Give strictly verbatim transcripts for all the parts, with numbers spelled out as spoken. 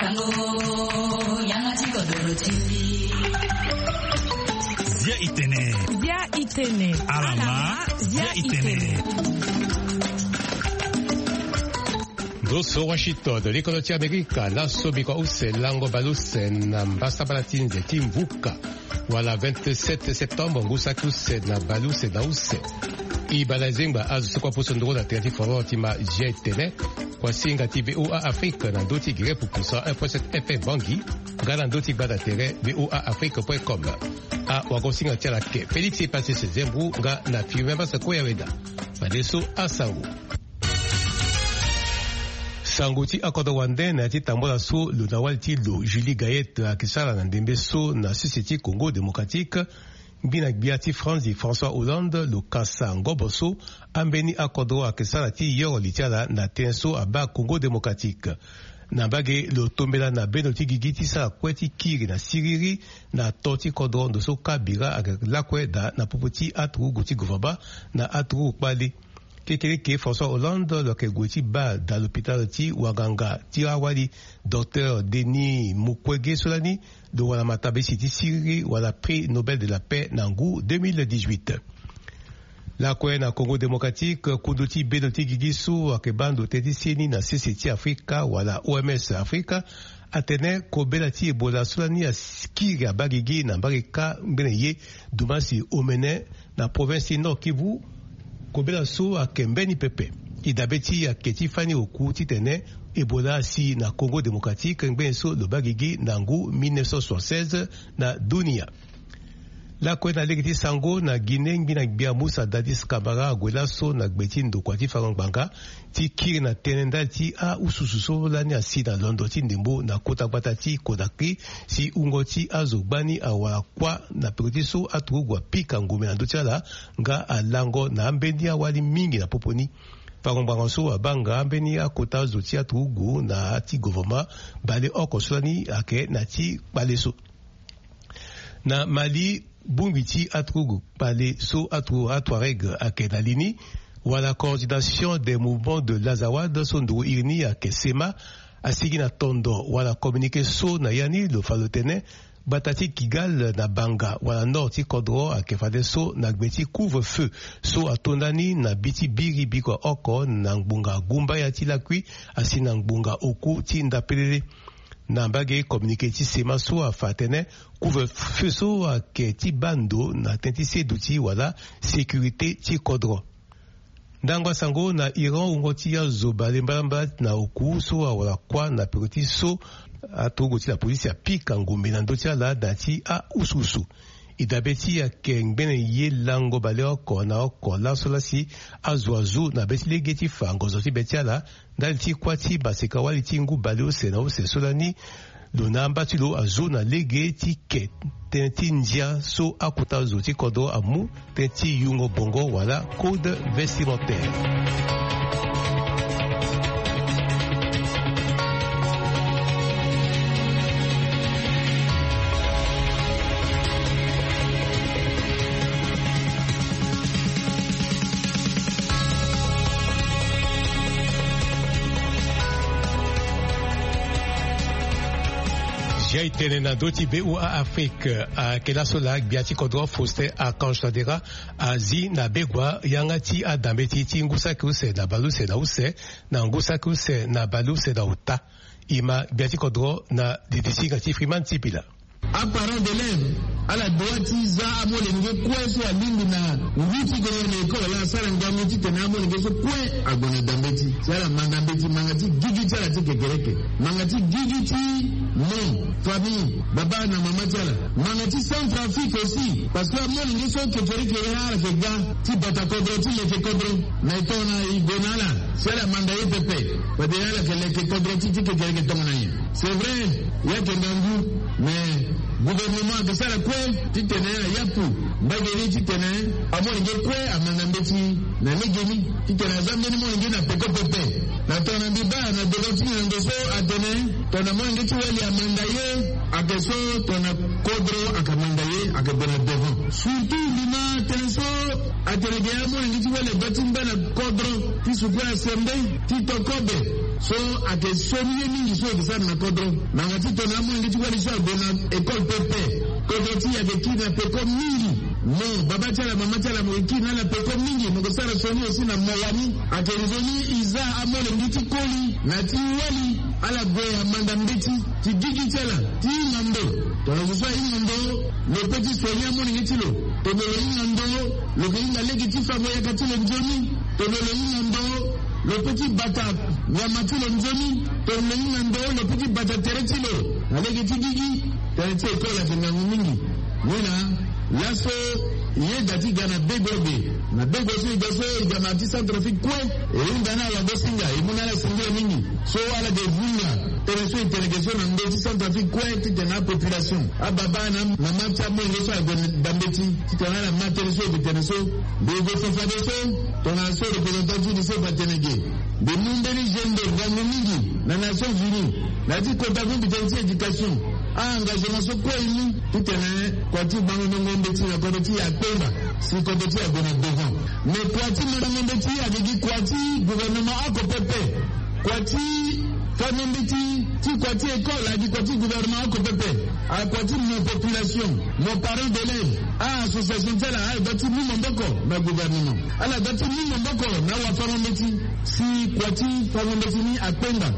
Tango yanga ti kodoro ti mbi. Zia itene. Zia itene. Alama. Zia itene. Ndo so Washington, likolo ti Amerika, laso bikua use lango bale use na mbasambala ti nze ti mvuka, wala vingt-sept septembre, ngu saki use na bale use na use. E bale zengba azo so kue aposo nduru na tere ti foro ti ma G T N, kuasinga ti V O A Afrique na ndö ti gere pupu cent un point sept F M Bangui, nga na ndö ti gbata tere V O A Afrique point com. Awagosinga ti ala ke Félix Epasis Zembou nga na Firmin Masako Yaweda. Fadeso asango. Sango ti akodro wande na ya ti tambula so lo na wali ti lo Julie Gayet ayeke sara na ndembe so na sese ti Congo Démocratique. Ngbina gbia ti France, François Hollande, lo kasa ngobo so ambeni akodro ayeke sara ti yoro li ti ala na tënë so abaa Congo Démocratique. Na mbage, lo tombela na bendo ti gigi ti sara kue ti kiri na siriri na to ti kodro ndo so ka bira ayeke lakue daa na popo ti aturugu ti gouvernement na aturugu kpale. Kekereke, François Hollande lo yeke gue ti baa daa lopitalo ti wanganga ti awali, Docteur Denis Mukwege, so lani lo wara matabisi ti siriri wala Prix Nobel de la Paix na ngu deux mille dix-huit. Lakue na Congo Démocratique, kundu ti bendo ti gigi so ayeke baa ndo tënë ti seni na sese ti Afrika wala O M S Afrika atene kobela ti Ebola so lani akiri abaa gigi na mbage kâ ngbene ye Dumasi Omene na province ti Nord Kivu. Kobela so ayeke mbeni pepe. E dabe ti e ayeke ti fani oku titene Ebola asi na Congo Démocratique ngbene so lo baa gigi na ngu mille neuf cent soixante-seize na dunia. Lakue na lege ti sango, na Guinée, ngbina gbia Moussa Dadis Camara ague laso na gbe ti ndokua ti fango ngbanga ti kiri na tënë ndali ti aususu so lani asi na londo ti ndembo na kota gbata ti Conakry, si wungo ti azo gbani awara kuâ na peko ti so aturugu apika ngombe na ndö ti ala nga alango na ambeni awali mingi na popo ni. Fango ngbanga so abaa nga ambeni akota zo ti aturugu na ya ti gouvernement baleoko so lani ayeke na ya ti kpale so. Na Mali, bongbi ti aturugu kpale so aturugu Touareg ayeke na li ni, wala Coordination des Mouvements de l'Azawad so nduru iri ni ayeke SEMA, asigi na tondo wala communiqué so na ya ni lo fa lo tene gbata ti Kidal na Banga wala nord ti kodro ayeke fadeso na gbe ti couvre-feu so ato ndani na bi ti biri bikua oko na ngbonga gumbaya ti lakui asi na ngbonga oku ti ndapelele. Na mbage, communiqué ti SEMA so afa atene couvre-feu so ayeke ti baa ndo na tënë ti seduti wala sécurité ti kodro. Ndango asango, na Iran, wungo ti azo bale mbalambala na oku so awara kuâ na peko ti so aturugu ti lapolisi apika ngombe na ndö ti ala na ya ti aususu. E dabe ti e ayeke ngbene ye lango baleoko na oko laso lasi azo azu na be ti lege ti fa ngonzo ti be ti ala ndali ti kuâ ti maseka-wali ti ngu baleuse na use so lani lo na amba ti lo azu na lege ti ke tënë ti ndia so akota zo ti kodro amu tënë ti yungo bongo wala code vestimentaire. Zia e tene na ndö ti V O A Afrique, ayeke laso laa gbia ti kodro Faustin Archange Touadéra azi na begua yanga ti adambeti ti ngu saki use na baleuse na use na ngu saki use na baleuse na ota. E ma gbia ti kodro na didisinga ti Freeman Sipila. Aparent d'élève ala dua ti za amolenge kue so alingbi na ngu ti gue na école, ala sara ngangu titene amolenge so kue ague na dambeti. Si ala manda mbeti, manga ti gigi ti ala ti kekereke, manga ti gigi ti mo, famille, baba na mama ti ala, manga ti Centrafrique aussi, parce que amolenge so kekereke ya ala yeke ga ti bata kodro ti leke kodro na e tongana e gue na ala. Si ala manda ye pepe, fade ala yeke leke kodro ti, ti kekereke tongana nyen? C'est vrai, ya yeke ngangu, mais gouvernement ayeke sara kue titene ayapu mbage ni titene amolenge kue amanda mbeti na legeni, titene aza mbeni molenge na peko pepe. Na tongana mbi baa na devant ti nginango so atene tongana molenge ti wali amanda ye, ayeke so tongana kodro ayeke manda ye, ayeke gue na devant. Surtout mbi ma tene so Atene ge amolenge ti wali adua ti ngba na kodro ti sukula sembe ti to kobe. So ayeke sioni ye mingi so e ke sara na kodro. Na nga ti tongana amolenge ti wali so ague na école pepe, kodro ti e ayeke kiri na peko mingi. Mo baba ti ala, mama ti ala, mo yeke kiri na ala peko mingi, mo yeke sara sioni aussi na mo wani. Ayeke nzoni e za amolenge ti koli na ti wali ala gue amanda mbeti ti gigi ti ala ti hinga ndo. Tongana zo so ahinga ndo, lo peut ti soigner amolenge ti lo. Tongana lo hinga ndo, lo ke hinga lege ti fango yaka ti lo nzoni. Tongana lo hinga ndo, lo peut ti bata nyama ti lo nzoni. Tongana lo hinga ndo, lo peut ti bata tere ti lo na lege ti gigi. Tere ti école ayeke ngangu mingi. Ni na laso e yeda ti ga na bego ague. Na bego so e ga so, e ga na ti Centrafrique kue. E hunda na ala, awagosinga, e mu na ala singila mingi. So ala ke vunga tënë so e tene ge so na ndö ti Centrafrique kue, titene apopulation, ababa na mama ti amolenge so ague na mbeti, titene ala ma tënë so e ke tene so. Mbi gue fa fadeso, tongana so représentant ti UNICEF atene ge, mbi mu mbeni jeune ngangu mingi na Nations Unies na ya ti kota ku mbi tene ti éducation. A-engagement so kue e mu titene kua ti bango ndongo mbeti na kodro ti e akpengba, si kodro ti e ague na devant. Mais kua ti mandango mbeti ayeke gi kua ti gouvernement oko pepe. Kua ti fango mbeti ti kua ti école ayeke gi kua ti gouvernement oko pepe. Ayeke kua ti mo population, mo parent d'élève, a-association ti ala ala dua ti mu maboko na gouvernement. Ala dua ti mu maboko na wafango mbeti si kua ti fango mbeti ni akpengba.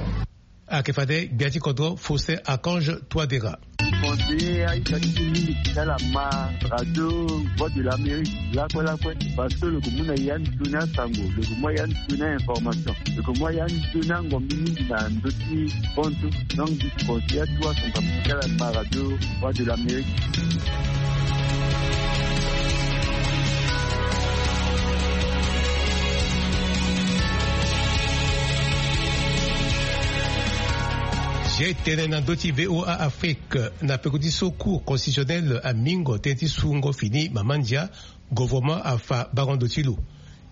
Ayeke fade gbia ti kodro Faustin Archange Touadéra. Conseiller aita ti mingi ti ala ma radio Voix de l'Amérique lakue lakue, parce que lo ke mu na ya nzoni asango, lo ke mu ya nzoni a-information, lo ke mu ya nzoni angombi mingi na ndö ti hon so. Donc mbi conseiller atu asango ti ala ma radio Voix de l'Amérique. Zia e tene na ndö ti VOA Afrique, na peko ti so Cour constitutionnelle amingo tënë ti sungo fini mama ndia, gouvernement afa bango ndo ti lo.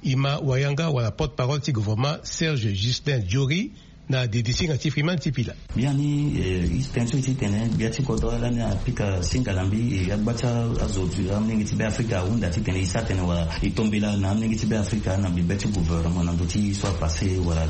E ma wayanga wala porte-parole ti gouvernement Serge Justin Diory na didi singa ti Freeman Tipila. Biani, eh, e tene so e ti tene gbia ti kodro lani apika singa na mbi, eh, agba ti azo ti amolenge ti Beafrika ahunda titene e sara tënë wala e tombela na amolenge ti Beafrika na bibe ti gouvernement na ndö ti so apassé wala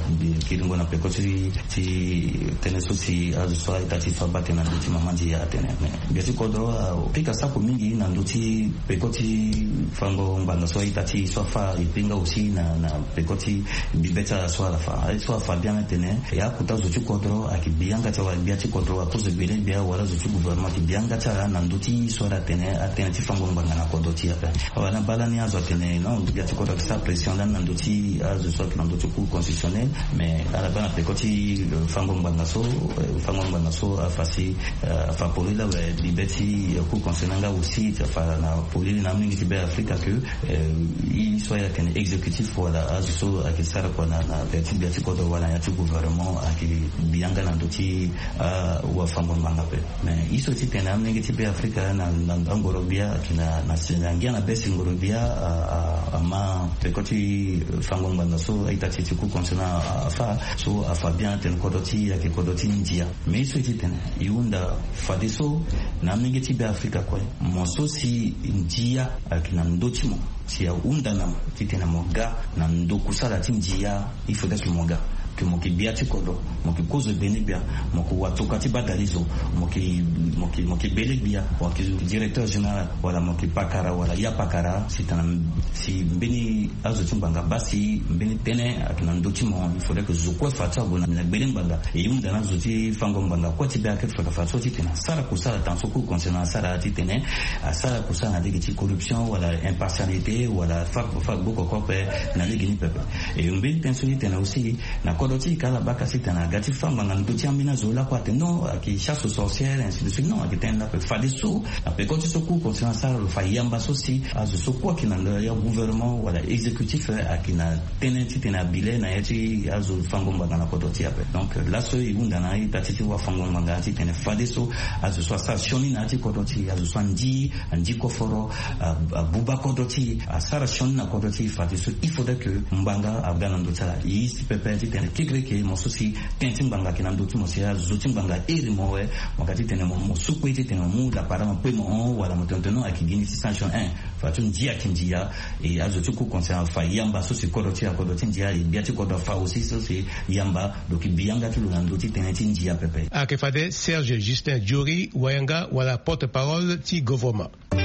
kiringo na peko ti, ti tënë so si azo so aita ti fa bate na ndö ti mama ndia atene. Mais gbia ti kodro apika sako mingi na ndö ti peko ti fango ngbanga so aita ti so afa, e pe nga aussi na, na peko ti bibe ti ala so ala fa. Aye so afa biani atene, e akota zo ti kodro ayeke bi yanga ti ala wala gbia ti kodro akozo gbele gbia wala zo ti gouvernement ayeke bi yanga ti ala na ndö ti so ala tene atënë ti fango ngbanga na kodro ti e ape. Awa na baa lani azo atene non, gbia ti kodro ayeke sara pression lani na ndö ti azo so ayeke na ndö ti Cour constitutionnelle. Mais ala baa na peko ti, euh, fango ngbanga so, euh, fango ngbanga so afa si, euh, afa polele awe bibe ti, euh, Cour constitutionnelle nga aussi ti afa na polele na amolenge ti Beafrika que, euh, e so ayeke na exécutif wala azo so ayeke sara kua na, na ya ti gbia ti kodro wala na ya ti gouvernement ayeke bi yanga na ndö ti, ah, wafango ngbanga ape. Mais e so ti tene amolenge ti Beafrika na, na, na ngoro gbia ayeke na, na, na ngia na be si ngoro gbia, ah, ah, ama peko ti fango ngbanga so aita ti ti Cour constitutionnelle afa, so afa bien atene kodro ti e ayeke kodro ti ndia. Mais e so e ti tene e hunda fadeso na amolenge ti Beafrika kue, mo so si ndia ayeke na ndö ti mo, si ahunda na mo titene mo ga na ndo kusala ti ndia, il faudrait que mo ga, que mo yeke gbia ti kodro, mo yeke kozo gbene gbia, mo yeke watokua ti badalizo, mo yeke, mo yeke, mo yeke bele gbia, mo yeke directeur général, wala mo yeke pakara wala ya pakara, si tena, si mbeni azo ti ngbanga baa si mbeni tënë ayeke na ndö ti mo, il faudrait que zo kue fa ti ague na gbele ngbanga. E hunda na azo ti fango ngbanga kue ti Beafrika fa so titene asara kusala tanga so Cour constitutionnelle asara titene asara kusala na lege ti corruption wala impartialité wala fa, fa gbo koko ape na lege ni pepe. E mbeni tënë so ti tene aussi na kodro ti e ka ala baa ka si tene aga ti fa ngbanga na ndö ti ambeni azo lakue atene non, ayeke chasse aux sorcières, ainsi de suite. Non, ayeke tënë ni ape. Fadeso na peko ti so Cour constitutionnelle asara lo fa yamba so si azo so kue ayeke na ndo ya gouvernement wala exécutif, eh, ayeke na tënë titene abi le na ya ti azo fango ngbanga na kodro ti e ape. Donc laso e hunda na ita ti ti wafango ngbanga titene fadeso azo so asara sioni na ya ti kodro ti e, azo so andi, andi koforo, a, abuba kodro ti e, asara sioni na kodro ti e, fadeso il faudrait que ngbanga aga na ndö ti ala. E si pepe titene kekereke mo so si Tënë ti ngbanga ayeke na ndö ti mo si azo ti ngbanga iri mo awe. Mo ga titene mo mo so kue titene mo mu lapara mo pe mo hon wala mo tene tene ayeke gi ni ti sanction. Fa ti ndia ayeke ndia. E azo ti ku concerne afa yamba so si kodro ti akodro ti ndia e gbia ti kodro afa aussi so si yamba. Donc e bi yanga ti lo na ndö ti tënë ti ndia pepe. Ayeke fade Serge Justin Diori wayanga wala porte-parole ti govornement. E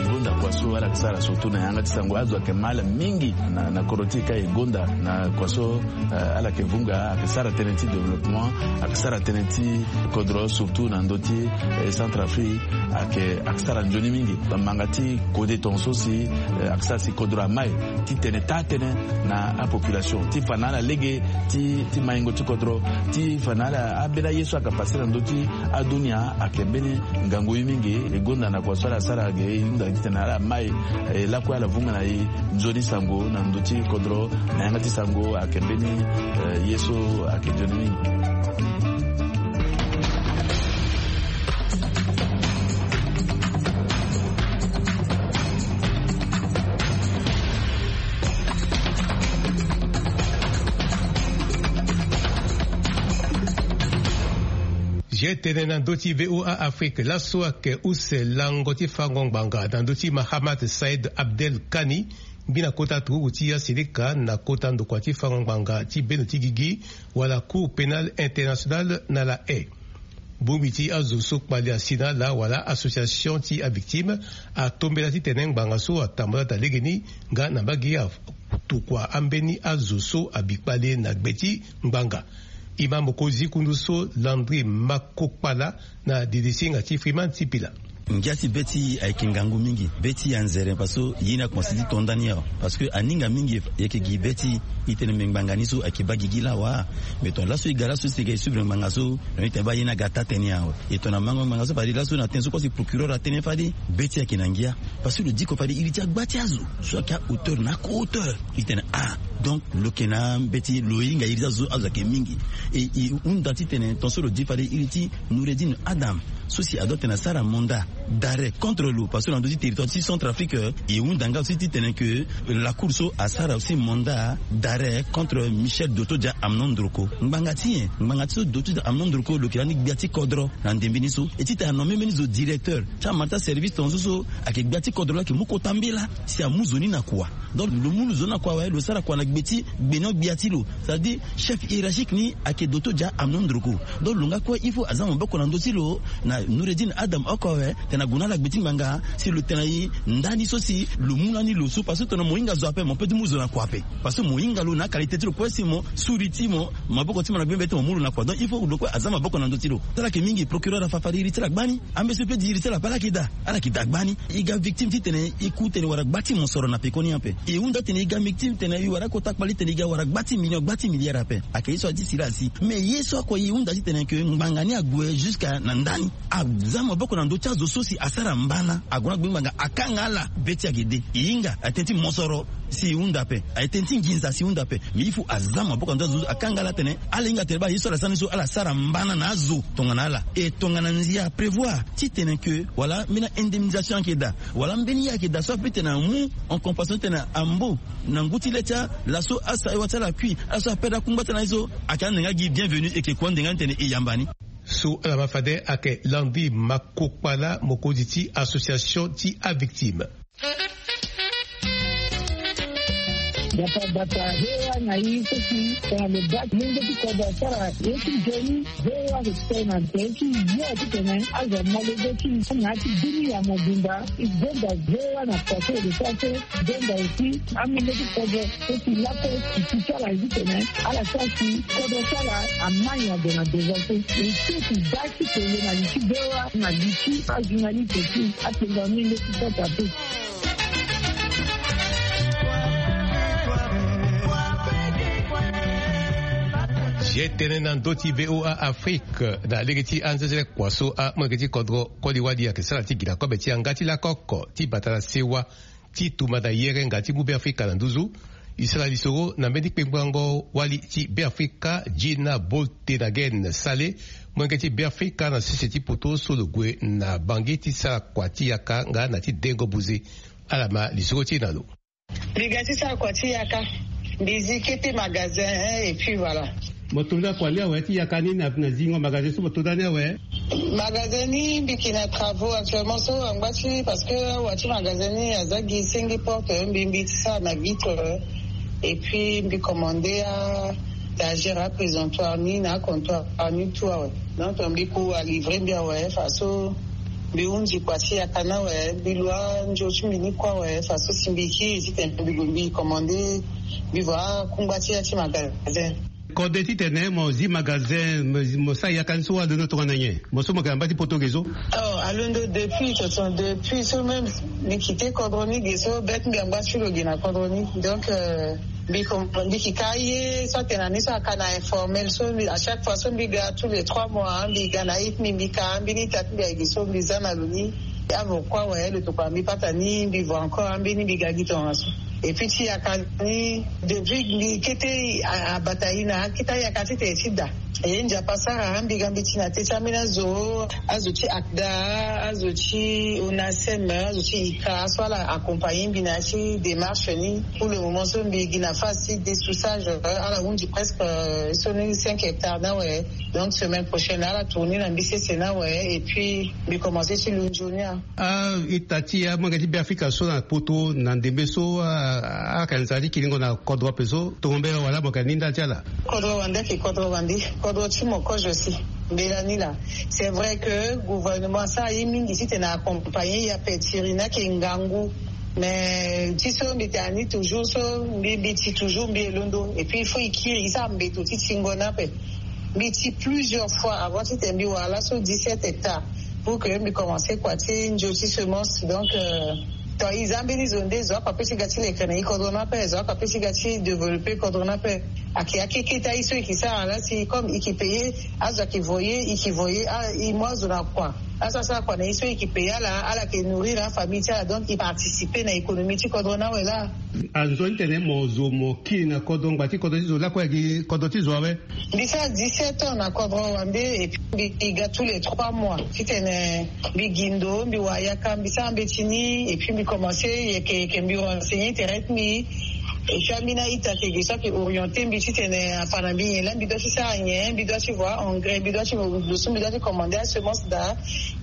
gonda kua so ala yeke sara surtout na yanga ti sango azo ayeke mal mingi na, na kodro ti e ka e gonda na kua so, eh, ala yeke vunga ayeke sara tënë ti développement, ayeke sara tënë ti kodro surtout na ndö ti, eh, Centrafrique. Ayeke, ayeke sara nzoni mingi. Bamanga ti kode tongaso si, eh, ayeke sara si kodro amai ti tene taa-tënë na apopulation ti fa na ala lege ti, ti maingo ti kodro ti fa na ala ambeni aye so ayeke pase na ndö ti adunia ayeke mbeni ngangu ye mingi. E gonda na kua so ala sara ge e hunda titene ala mai, eh, lakue ala vunga na e nzoni sango na ndö ti kodro na yanga ti sango ayeke mbeni, eh, ye so ayeke nzoni mingi. Ge tene na ndö ti V O A Afrique laso ayeke use lango ti fango ngbanga na ndö ti Mahamat Said Abdel Kani, ngbina kota turugu ti asilika na kota ndokua ti fango ngbanga ti bendo ti gigi wala Cour pénale internationale na La Haye. Bongbi ti azo so kpali asi na ala wala association ti avictime atombela titene ngbanga so atambula daa legeni nga na mbage atokua ambeni azo so abi kpale na gbe ti ngbanga. E ma mokonzi kundu so Landry Makokpala na didisinga ti Freeman ti pila. Ngia ti be ti e ayeke ngangu mingi, be ti e anzere parce que ye ni akomanse ti to ndani awe. Parce que aninga mingi e yeke gi be ti e, e tene mbi ngbanga ni so ayeke baa gigi laa wa. Mais tongana laso e ga laso si e ga e suivre ngbanga so, donc e tene baa ye ni aga taa-tënë awe. E tongana mango ngbanga so fade laso na tënë so kue si procureur atene fade be ti e ayeke na ngia. Parce que lo diko fade iri ti agba ti azo so ayeke ahauteur na ako-hauteur. E tene ah, donc lo yeke na mbeti lo hinga iri ti azo so azo ayeke mingi. E e hunda titene tongaso lo di fade iri ti Noureddine Adam so si adoit tene asara mandat d'arrêt contre lo parce que na ndö ti territoire ti Centrafrique, e hunda nga aussi titene que la cour so asara aussi mandat d'arrêt contre Michel Dotodia Amnon Ndroko. Ngbanga ti nyen? Ngbanga ti so Dotodia Amnon Ndroko lo yeke lani gbia ti kodro na ndembe ni so. E titene anommer mbeni zo directeur ti amata service tongaso so ayeke gbia ti kodro laa ayeke mu kota mbela si amu zo ni na kua. Donc lo mu lo zo ni na kua awe, lo sara kua na gbe ti gbenio-gbia ti lo, c'est-à-dire chef hiérarchique ni ayeke Dotodia Amnon Ndroko. Donc lo nga kue il faut aza maboko na ndö ti lo na Noureddine Adam oko awe, tena gue na ala gbe ti ngbanga si lo tena e ndani so si lo mu lani lo so parce que tongana mo hinga zo ape mo peut ti mu zo na kua ape. Parce que mo hinga lo na qualité ti lo kue si mo suri ti mo, maboko ti mo na gbengbe ti mo mu lo na kua. Donc il faut lo kue aza maboko na ndö ti lo. Ti ala yeke mingi procureur afa fade iri ti ala gbani. Ambe so peut di iri ti ala ape ala yeke daa, ala yeke daa gbani. E ga victime titene e ku tene wara gba ti mosoro na pekoni ape. E hunda tene e ga victime tene e wara kota kpali tene e ga wara gba ti million, gba ti milliard ape. Ayeke ye so aye ti sila asi. Mais ye so oko e hunda titene que ngbanga ni ague jusqu'à na ndani. Aza maboko na ndö ti azo so si asara mbana ague na gbe ngbanga akanga ala be ti ayeke de. E hinga aye tënë ti mosoro si e hunda ape, aye tënë ti nginza si e hunda ape. Mais il faut aza maboko na ndö ti azo so akanga ala tene ala hinga tene baa ye so ala sara ni so ala sara mbana na azo tongana ala. E tongana ndia aprévoir titene que wala mbeni indemnisation ayeke daa wala mbeni ye ayeke daa so ape titene amu en compensation titene ambo na ngu ti le ti ala so asa ewa ti ala kui ala so aperdre akungba ti ala ni so ayeke ande nga gi bienvenu e yeke kua ande nga ni titene e yamba ni. So ala ma fade ayeke Landry Makokpala, mokonzi ti association ti avictime. Gbata gbata, V O A na i so si tongana lo baa ti mungo ti kodro asara ye ti nzoni, V O A ayeke so na tere ti yo titene azo amolenge ti i na ya ti bini ya mobimba. I gonda V O A na kua so e lo sara so. Gonda aussi amolenge ti kodro so si lakue ti ti ti ala ye titene ala sara si kodro ti ala amai ade na devant so. E so ti baa ti tene na li ti V O A na li ti ajournaliste ti atenga amolenge ti kota pe. Ge tënë na ndö ti V O A Afrique na lege ti anzezele kua so amolenge ti kodro koli wali ayeke sara ti gi na kobe ti yanga ti lako oko ti bata na sewa ti tumba na yerenga ti mu Beafrika na nduzu. E sara lisoro na mbeni kpengbango wali ti Beafrika, Gina Boltenagen Sale, molenge ti Beafrika na sese ti poto so lo gue na Bangui ti sara kua ti yaka nga na ti dengo buze. Ala ma lisoro ti e na lo. Mbi ga ti sara kua ti yaka. Mbi zi kete magasin, hein, et puis voilà. Mo to nda kua ni awe ti yaka ni na zingo magasin so mo to nda ni awe? Magasin ni mbi yeke na travaux actuellement so angba ti, parce que awa ti magasin ni aza gi senge porte, mbi mbi ti sara na vitre, et puis mbi commande a étagère, aprésentoir ni na acomptoir ni tout awe. Donc mbi ku alivrer mbi awe faso. Mbi hunzi kua ti yaka ni awe, mbi lu anzo ti mbi ni kue awe faso si mbi kiri titene mbi gue mbi commande, mbi voa akungba ti ya ti magasin. Kode titene mo zi magasin, mo sara yaka ni so alondo tongana nyen? Mo so mo yeke na mba ti poto ge so? Oh, alondo depuis toto, depuis so même mbi kite kodro ni ge so, bête mbi angba ti lo ge na kodro ni. Donc euh, mbi ko mbi ki ka ye so atene na ni so aka na informel so, à chaque fois so mbi ga tous les trois mois, mbi ga na ita mbi, mbi ka ambeni ita ti mbi agi so mbi za na lo ni. Avo kue awe lo tokua mbi pata ni, mbi voa encore ambeni mbi ga gi tongaso. Et puis ti yaka ni, depuis mbi kete abata ye na akete ayaka titene ti da. E nzapa sara mbi ga mbi ti na te ti ambeni azo, azo ti akda, azo ti onasem, azo ti ika so ala accompagner mbi na ya ti démarche ni. Pour le moment so mbi gi na phase ti dessoussage, ala hunzi presque euh, so ni cinq hectares ni awe. Donc semaine prochaine ala tourner na mbi sese ni awe, et puis mbi commencer ti lu nzoni a. Ah, ita ti amolenge ti Beafrika so na poto na ndembe so, ah, ayeke na nzara ti kiringo na kodro ape so, tongo mbela wala mo yeke na ni ndali ti ala? Kodro wande ayeke kodro wande, kodro ti mo kozo si. Mbela ni laa, c'est vrai que gouvernement asara ye mingi titene accompagner ye ape, ti iri ni ayeke ngangu. Mais ti so mbi tene na ni toujours so, mbi mbi ti toujours mbi e londo, et puis il faut e kiri e sara mbeto ti tingo ni ape. Mbi ti plusieurs fois avant titene mbi wara laso dix-sept hectares pour que mbi commencer kua ti nzo ti semence. Donc euh, to e za mbeni zo nde zo apape ti ga ti leke na e kodro ni ape, zo apape ti ga ti développer kodro ni ape. Ayeke akeketa ye so e ke sara laa si comme e ke payer azo, ayeke voyer, e ke voyer ah, e mu azo na kua, azo asara kua na ye so e ke payer ala, ala yeke nourrir afamille ti ala, donc e participer na économie ti kodro ni awe laa. Anzoni tene mo zo mo kiri na kodro, ngba ti kodro ti zo lakue ayeke kodro ti zo awe? Mbi sara dix-sept ans na kodro wande, et puis mbi ga tous les trois mois titene mbi gi ndo, mbi wara yaka, mbi sara mbeti ni, et puis mbi commencer yeke yeke mbi renseigner tere ti mbi. Et puis ambeni a-ita ayeke gi so ayeke orienter mbi titene afa na mbi nyen laa mbi doit ti sara nyen, mbi doit ti voa engrais, mbi doit ti lo so mbi doit ti commander asemence daa.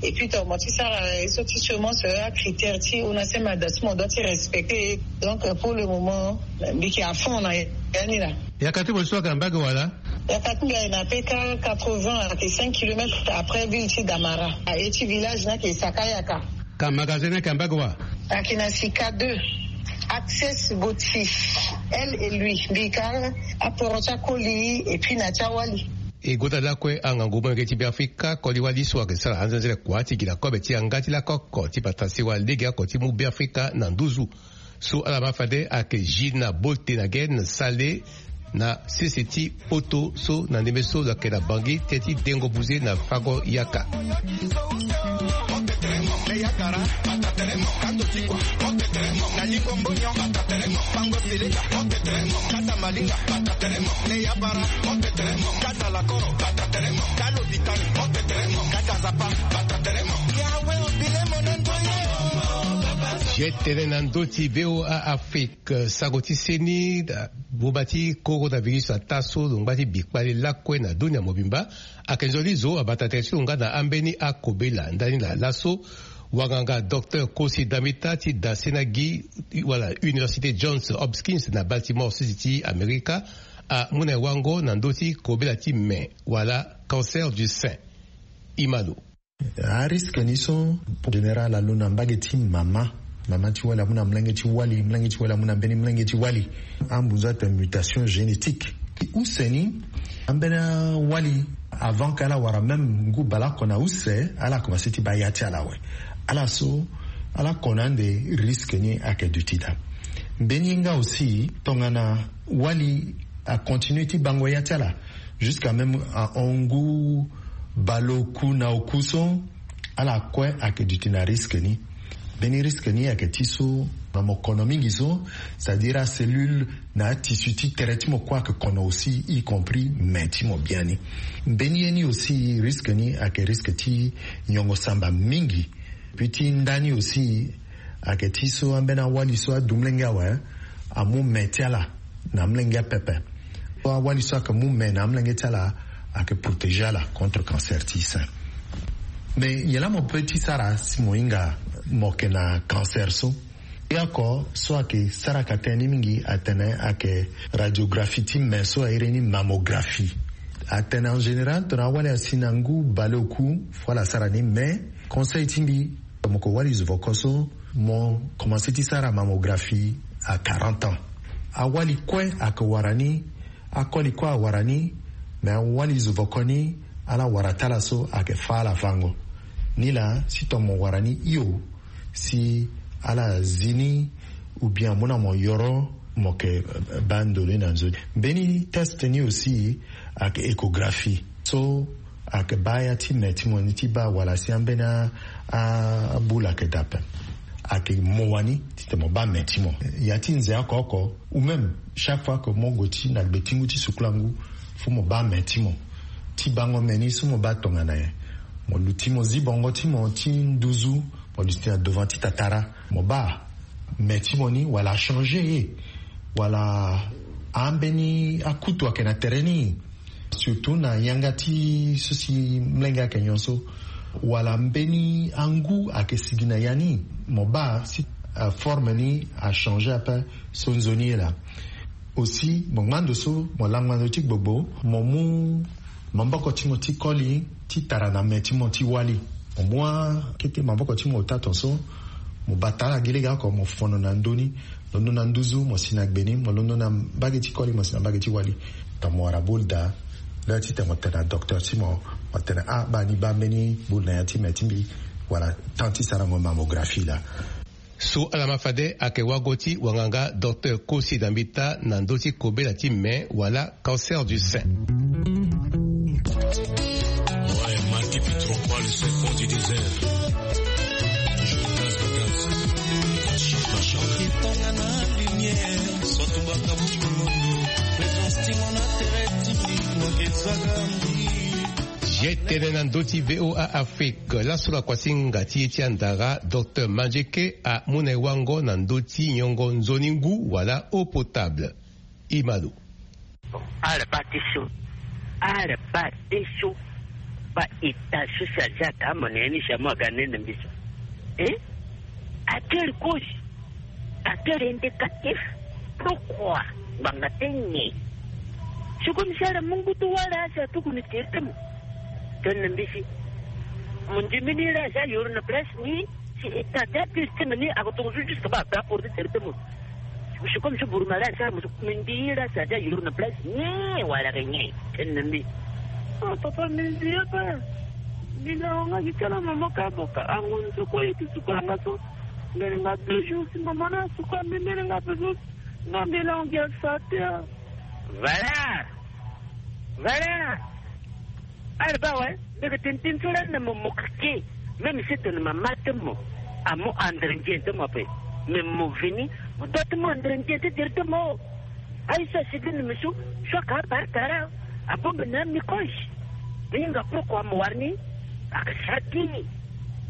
Et puis tongana mo ti sara ye so ti semence, acritère ti onasema daa so mo doit ti respecter. Donc pour le moment mbi yeke à fond na ya ni laa. Yaka ti mo so ayeke na mbage wala? Yaka ti mbi ayeke na peka quatre-vingts, ayeke cinq kilomètres après ville ti Damara. Aye ti village ni ayeke Saka Yaka. Ka magasin ni ayeke na mbage wa? Ayeke na Sika deux, Access Gauthier, elle et lui. Mbi ka aporo ti akoli et puis na ti awali. E gota lakue angangu molenge ti Beafrika, koli wali so ayeke sara anzenzele kua ti gi na kobe ti yanga ti lako oko ti bata sewa lege oko ti mu Beafrika na nduzu. So ala ma fade ayeke Gina Boltenhagen Saleh na sese ti poto so na ndembe so lo yeke na Bangui teti dengo buze na fango yaka. Ye tene na ndö ti V O A Afrique, sango ti seni, buba ti coronavirus ata so lo ngba ti bi kpale lakue na dunia mobimba. Ayeke nzoni zo abata tere ti lo nga na ambeni akobela ndani na laso. Wanganga docteur Kosi Damita ti da sena gi wala Université Johns Hopkins na Baltimore, sese ti Amerika, amu na e wango na ndö ti kobela ti me wala cancer du sein. Imalo. Ariske ni so général alo na mbage ti mama, mama ti wali amu na molenge ti wali, molenge ti wali amu na mbeni molenge ti wali. Ambunzu atene mutation génétique. Use ni, ambeni awali, avant ke ala wara même ngu baleoko na use, ala commencé ti baa ya ti ala awe. Ala so ala kono ande, risque ni ayeke duti daa. Mbeni ye nga aussi tongana wali acontinué ti bango ya ti ala jusqu'à même ahon ngu baleoku na oku so, ala kue ayeke duti na risque ni. Mbeni risque ni ayeke ti so na mo kono mingi so, c'est-à-dire acellule na atissu ti tere ti mo kue ayeke kono aussi, y compris me ti mo biani. Mbeni ye ni aussi, risque ni ayeke risque ti nyongo samba mingi. Puis ti nda ni aussi ayeke ti so ambeni awali so adu molenge awe, amu me ti ala. Na amolenge apepe. Awali so ayeke mu me na amolenge ti ala, ayeke protéger ala contre cancer ti sein. Mais nyen laa mo peut ti sara si mo hinga mo yeke na cancer so? Ye oko so ayeke saraka tënë ni mingi atene ayeke radiographie ti me so a iri ni mammographie. Atene en général tongana awali asi na ngu baleoku fo ala sara ni, mais conseil ti mbi, mo yeke wali zo voko so, mo commencer ti sara mammographie à quarante ans. Awali kue ayeke wara ni, akoli kue awara ni. Mais awali zo voko ni, ala wara ti ala so ayeke fâ ala fango. Nilaa si tongana mo wara ni hio, si ala zi ni, ou bien amu na mo yoro, mo yeke baa ndo ni na nzoni. Mbeni test ni aussi ayeke échographie so ayeke baa ya ti me ti mo ni ti baa wala si ambeni a, a, aboule ayeke daa ape. Ayeke mo wani titene mo baa me ti mo. Ya ti nze oko oko, ou même chaque fois que mo gue ti na gbe ti ngu ti sukula ngu, fo mo baa me ti mo. Ti bango me ni so mo baa tongana nyen? Mo luti mo zi bongo ti mo ti nduzu, mo luti na devant ti tatara, mo baa me ti mo ni wala achanger ye, wala ambeni akutu ayeke na tere ni, surtout na yanga ti so si molenge ayeke nyon so, wala mbeni angu ayeke sigi na ya ni, mo baa si, euh, forme ni achanger ape so nzoni ye laa. Aussi mo ngbando so mo lango na ndo ti gbogbo, mo mu maboko ti mo ti koli ti tara na me ti mo ti wali. Mo mu akete maboko ti mo ota tonso, mo bata ala gi lege oko, mo fono na ndö ni, londo na nduzu mo si na gbe ni, mo londo na mbage ti koli mo si na mbage ti wali. Tongana mo wara boule daa, laa titene mo tene na docteur ti mo, mo tene ah baa ni baa mbeni boule na ya ti me ti mbi, wala temps ti sarango mammographie laa. So ala ma fade ayeke wago ti wanganga docteur Kosi Dambita na ndö ti kobela ti me wala cancer du sein. Ouais, Marquis Pitron, pas le serpent du désert. Je casse le gaz. Etongana lumière, soit tubaka butu mondo, présence ti mo na tere ti mbi, mo ke zaga mbi. Ye tene na ndö ti V O A Afrique, laso lakua ti hinga ti ye ti andara, docteur Mandieke amu na e wango na ndö ti nyongo nzoni ngu wala eau potable. Imalo. Bon, ala baa ti so, ala baa ti so, baa état so si aza aka amo na ya ni si amu aga nene mbi so. Eh? Atel cause, atel indicatif. Pourquoi? Ngbanga ti nyen? Si comme si ala mu ngu ti wara si atuku ni tere ti mo. Tene na mbi si mo ndimi ni la si ayoro na place ni, si état ti apire ti me ni ako tongo so juste baa ape aporo ti tere ti mo. Si comme si buruma la si ala mo so mbi ndi la si aza yoro na place ni wala ke nyen? Tene na mbi. Ah, papa, mbi zi ye pe. Mbi na wanga gi ti ala mama ka boka ango nzoko ye ti suka nga so. Mbele nga deux jours si mama na suka mbi, mbele nga pe so. Nga mbi la wanga sa te. Voilà. Voilà. Ala baa awe, mbi yeke tene tënë so lani na mo, mo keke. Même si tene mama ti mo amu andre nzien ti mo ape, mais mo veni, mo doit ti mu andre nzien ti tere ti mo. Aye so asigi na mbi so, so aka apara tara, abongbi na amicroche. Mbi hinga pourquoi mo wara ni? Aka sara ti ni.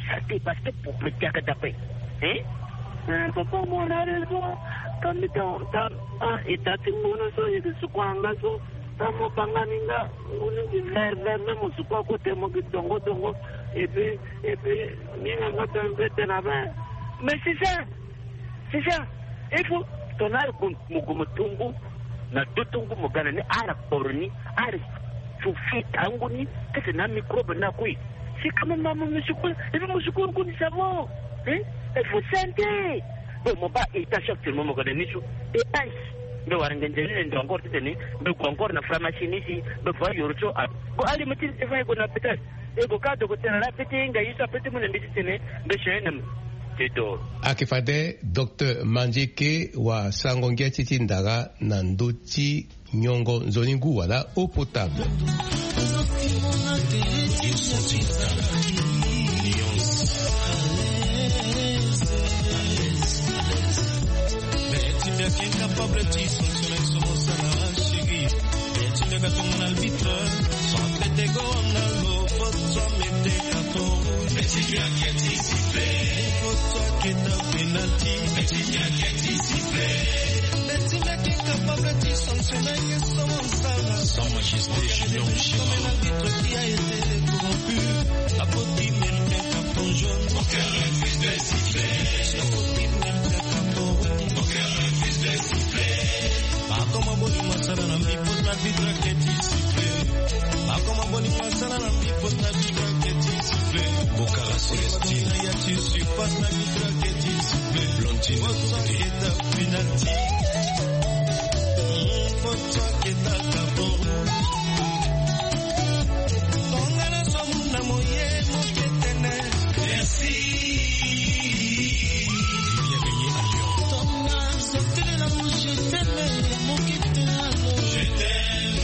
Sara ti parce que pauvreté aka daa ape. Hein? Eh, papa, mo na raison. Ka mbi ta, ta, ah, état ti ngbona so ye ti suka nga so. Tango mo banga ni nga, ngu ni vert vert, même mo suku akote mo gi dongo dongo. Et puis, et puis, ni nga nga tene pe tene ape. Mais c'est ça, c'est ça. Il faut tongana ala gue mo gue mo to ngu, na do ti ngu mo ga na ni, ala kporo ni, ala sufi tangu ni, kete na microbe na kue. C'est quand même ma mo mo suku, et puis mo suku ngu ni ça va. Hein? Il faut santé. Bon, mo baa état chaque jour mo mo ga na ni so. Et aïe. Mbi wara ngenze ni ndo encore titene mbi gue encore na pharmacie ni si mbi gue ayoro so. Ah, bon, ali mo ti devoir e gue na hôpital. E gue ka docteur la pe ti hinga ye so ape ti mu na mbi titene mbi changer na mbi. Ti doro. Ayeke fade docteur Mandieke wasango ngia ti ti ndara na ndö ti nyongo nzoni ngu wala eau potable. Penalty. Betty Meke capable ti sanctionner ye sans mon sala. Sans majesté, je nomme Shema. Comme l'arbitre qui a été corrompu, la faute qui mérite un carton jaune. Aucun refuse de siffler. La faute qui mérite un carton rouge. Aucun refuse de siffler. Akoma boni masala na mbi pota arbitre ake ti siffler. Akoma boni masala na mbi pota arbitre ake ti siffler. Bokara Célestine. Ya ti surpasse na arbitre ake ti siffler. Blondine Kota Kota. Keta penalty. Kota Keta carton rouge. Tonga na somu na moye moke tene. Merci. Bien baigné à Lyon. Tonga, sortez la rouge, je t'aime, moke tene. Je t'aime.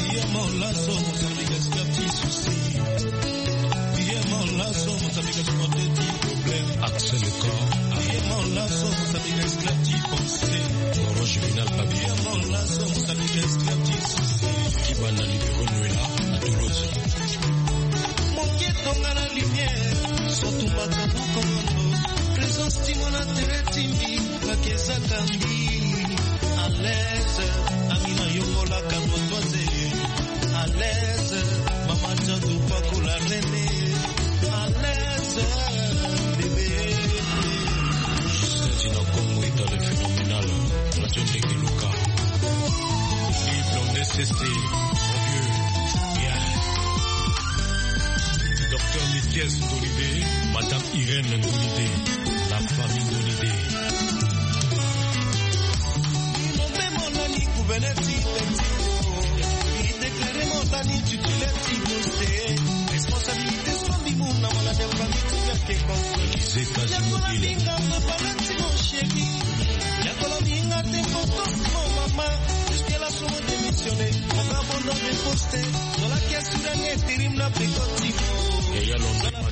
Iye mon laso, mon service, esclave ti souci. Iye mon laso, mon service, esclave ti problème. Axel Corps. Iye mon laso, mon service, esclave ti pensée. Orange Vinal Papi. Iye mon laso, mon service, esclave ti souci. Kibana libéraux Noëlla à Toulouse. Moke tonga na lumière, surtout makambo komondo. Présence ti mwana tere ti mbi, bakeza kambi. À l'aise, ami na yongola kano toise. À l'aise, maman Diadou Paco la reine. À l'aise, bébé. Justin Dinakongo est dans le phénoménal. Radio Ndeke Luka. Yves Blondé Sesté, mon vieux. Yeah. Docteur Nikias Dolidé, Madame Irène Dolidé, la famille Dolidé. Déclaré mon ami titulaire ti poste. Responsabilité sombi mon na malade famille ti gake conseil. Élisée Kazimodila. Yakola binga papa na ti mon chéri. Yakola binga t'importance mon maman. Jusqu'à la somme démissionner. On va abandonner poste. Dans la caisse de l'intérim na pekoti.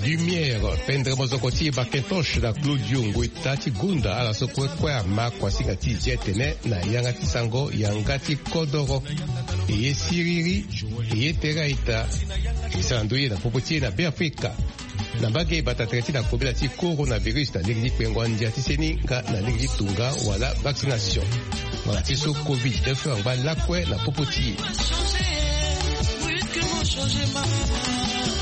Lumière, pendre mozoko ti Macintosh na Claudio Ngueta ti gunda ala so kue kue ama kuasinga ti zi tene na yanga ti sango yanga ti kodoro. E ye siriri, e ye tere a-ita. E sara ndö ye na popo ti e na Beafrika. Na mbage bata tere ti na kobela ti coronavirus na lege ti kpengo andia ti seni nga na lege ti tunga wala vaccination. Wala ti so covid neuf angba lakue na popo ti e.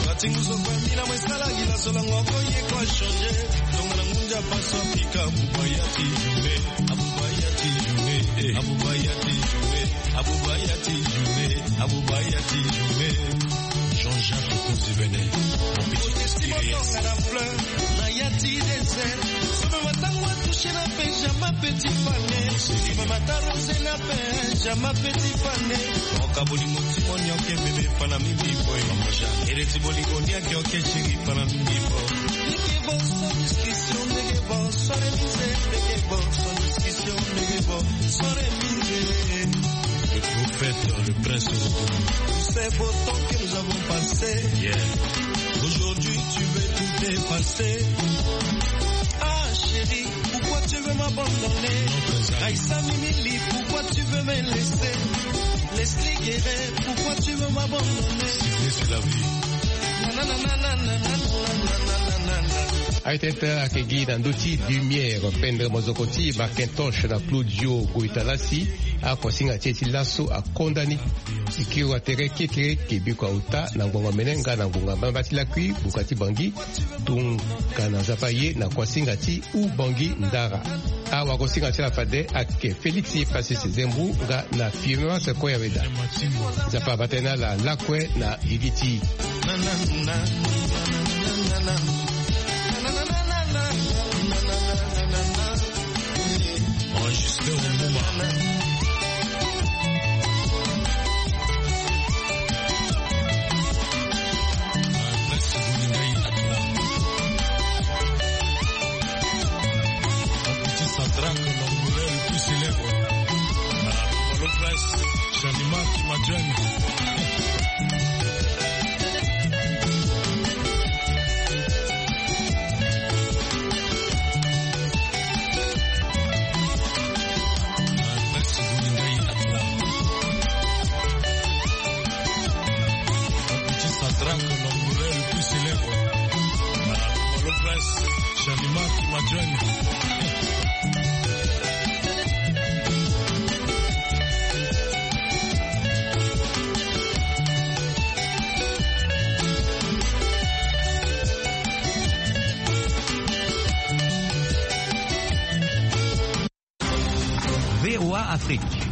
Pratique nous offre mille à moins ça la guilla sur la ngoko ye quoi changer. Donc la mundia passe en pica, Abuba ya ti jouer, Abuba ya ti jouer, eh, Abuba ya ti jouer, Abuba ya ti jouer, Abuba ya ti jouer. Jean-Jacques Kozibene, mon petit expérience. Na ya ti désert. Sobe matango atouché na Benjamin petit pané. Sobe matarose na Benjamin petit pané. Oka bolingo ti monio ke bébé fana mi bibo. Ere ti bolingo ni ake oke chéri fana mi bibo. Nege bon sans discussion, nege bon sans remise, nege bon sans discussion, nege bon sans remise. Le prophète, le prince. Tous ces beaux temps que nous avons passés. Yeah. Aujourd'hui, tu veux tout effacer. Ah, chérie, pourquoi tu veux m'abandonner? Raissa Mimili, pourquoi tu veux me laisser? Leslie Guerret, pourquoi tu veux m'abandonner? C'est la vie. Aye tete ayeke gi na ndö ti lumière pendre mozoko ti Macintosh na Claudio Goitalasi. Akuasinga ti e ti laso akonda ni. Sikiri wa tere kekereke biko auta na ngonga mene nga na ngonga mbamba ti lakui buka ti Bangui. Tongana Nzapa aye na kuasinga ti Ubangui Ndara. Awagosinga ti ala fade ayeke Félix Passy Sezembu nga na Firmin Sequoia Weda. Nzapa abata ye na ala lakue na gigi ti. Enregistré au Mouma. Prince Bolingai à toi. Mon petit Sadraque, l'Angolais le plus célèbre. Voilà, le prince, Shanima Kimadjani.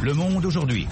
Le monde aujourd'hui.